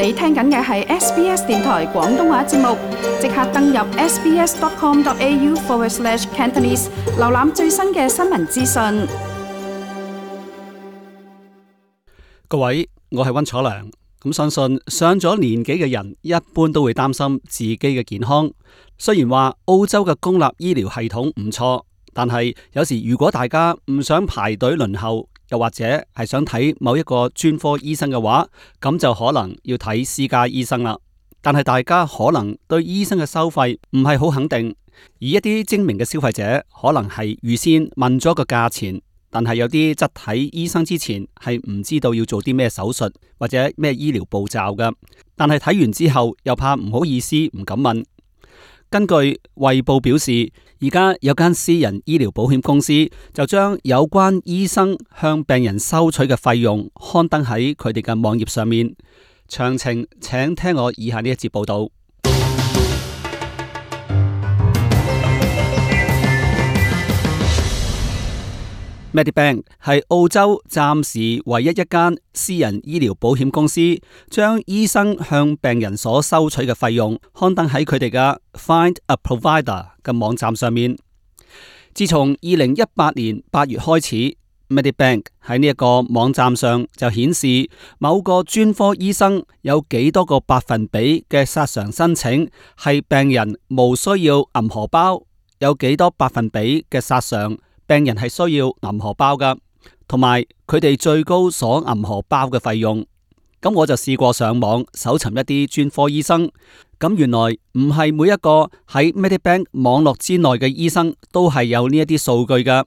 你聽緊嘅係 SBS 電台廣東話節目，即刻登入 sbs.com.au/cantonese 瀏覽最新嘅新聞資訊。各位，我係溫楚良。相信上咗年紀嘅人一般都會擔心自己嘅健康。雖然話澳洲嘅公立醫療系統唔錯，但係有時如果大家唔想排隊輪候，又或者係想睇某一個專科醫生嘅話，咁就可能要睇私家醫生啦。但係大家可能對醫生嘅收費唔係好肯定，而一啲精明嘅消費者可能係預先問咗個價錢，但係有啲則睇醫生之前係唔知道要做啲咩手術或者咩醫療步驟嘅，但係睇完之後又怕唔好意思唔敢問。根據衛報表示，而家有間私人醫療保險公司就將有關醫生向病人收取嘅費用刊登喺佢哋嘅網頁上面。詳情請聽我以下呢一節報道。Medibank 係澳洲暫時唯一一間私人醫療保險公司，將醫生向病人所收取嘅費用刊登喺佢哋嘅 Find a Provider 嘅網站上面。自從2018年8月開始， Medibank 喺呢一個網站上就顯示某個專科醫生有幾多個百分比嘅索償申請係病人無需要銀荷包，有幾多百分比嘅索償病人係需要銀荷包噶，同埋佢哋最高所銀荷包嘅費用。咁我就試過上網搜尋一啲專科醫生，咁原來唔係每一個喺 Medibank 網絡之內嘅醫生都係有呢一啲數據噶。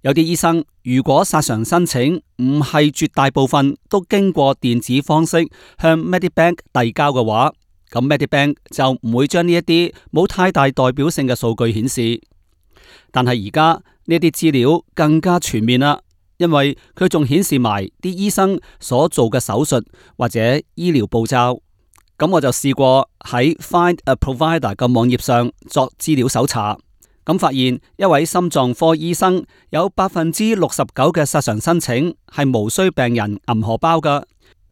有啲醫生如果索償申請唔係絕大部分都經過電子方式向 Medibank 遞交嘅話，咁 Medibank 就唔會將呢一啲冇太大代表性嘅數據顯示。但係而家呢啲資料更加全面啦，因為佢仲顯示埋啲醫生所做嘅手術或者醫療步驟。咁我就試過喺 Find a Provider 嘅網頁上作資料搜查，咁發現一位心臟科醫生有69%嘅索償申請係無需病人銀荷包㗎，而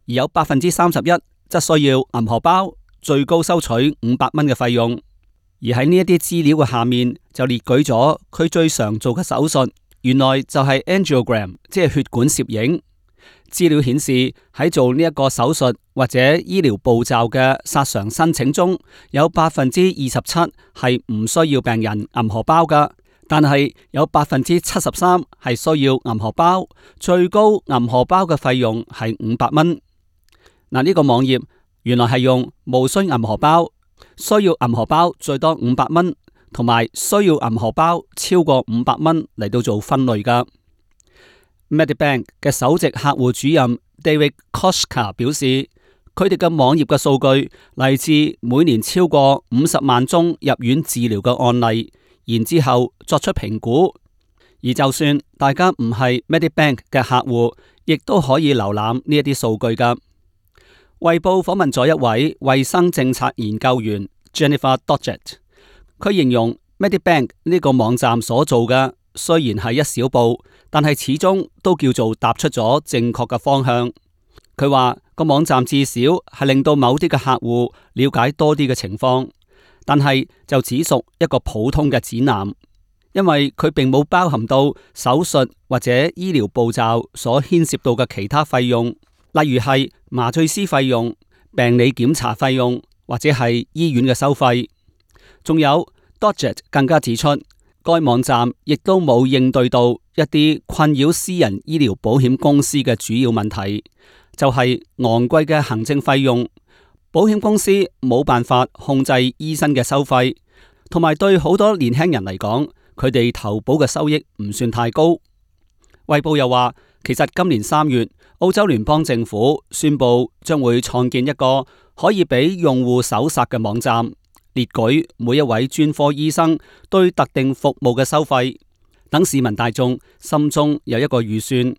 有31%則需要銀荷包，最高收取500蚊嘅費用。而喺呢一啲資料嘅下面就列舉咗佢最常做嘅手術，原來就係 angiogram， 即係血管攝影。資料顯示喺做呢一個手術或者醫療步驟嘅索償申請中，有27%係唔需要病人銀荷包㗎，但係有73%係需要銀荷包，最高銀荷包嘅費用係500蚊。嗱，呢個網頁原來係用無需銀荷包、需要銀荷包最多500蚊，同埋需要銀荷包超過500蚊嚟到做分類噶。Medibank 嘅首席客戶主任 David Koshka 表示，佢哋嘅網頁嘅數據嚟自每年超過50萬宗入院治療嘅案例，然之後作出評估。而就算大家唔係 Medibank 嘅客戶，亦都可以瀏覽呢一啲數據噶。衛報訪問咗一位衛生政策研究員 Jennifer Dodgett， 佢形容 Medibank 呢個網站所做嘅雖然係一小步，但係始終都叫做踏出咗正確嘅方向。佢話個網站至少係令到某啲嘅客戶了解多啲嘅情況，但係就只屬一個普通嘅指南，因為佢並冇包含到手術或者醫療步驟所牽涉到嘅其他費用，例如係麻醉師費用、病理檢查費用或者係醫院嘅收費。仲有 Dodgett 更加指出，該網站亦都冇應對到一啲困擾私人醫療保險公司嘅主要問題，就係昂貴嘅行政費用，保險公司冇辦法控制醫生嘅收費，同埋對好多年輕人嚟講，佢哋投保嘅收益唔算太高。衛報又話，其實今年3月，澳洲聯邦政府宣布將會創建一個可以俾用戶搜索嘅網站，列舉每一位專科醫生對特定服務嘅收費，等市民大眾心中有一個預算，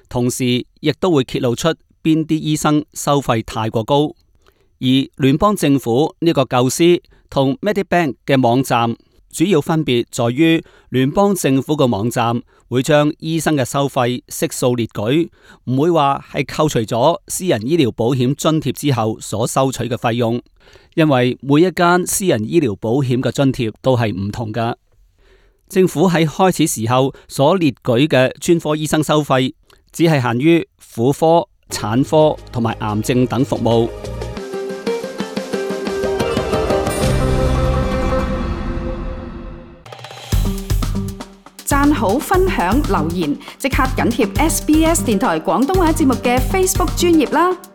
同時亦都會揭露出邊啲醫生收費太過高。而聯邦政府呢個構思同 Medibank 嘅網站主要分別在於，聯邦政府嘅網站會將醫生嘅收費悉數列舉，唔會話係扣除咗私人醫療保險津貼之後所收取嘅費用，因為每一間私人醫療保險嘅津貼都係唔同㗎。政府喺開始時候所列舉嘅專科醫生收費，只係限於婦科、產科同埋癌症等服務。讚好、分享、留言，即刻緊貼SBS 電台廣東話節目嘅 Facebook 專頁啦！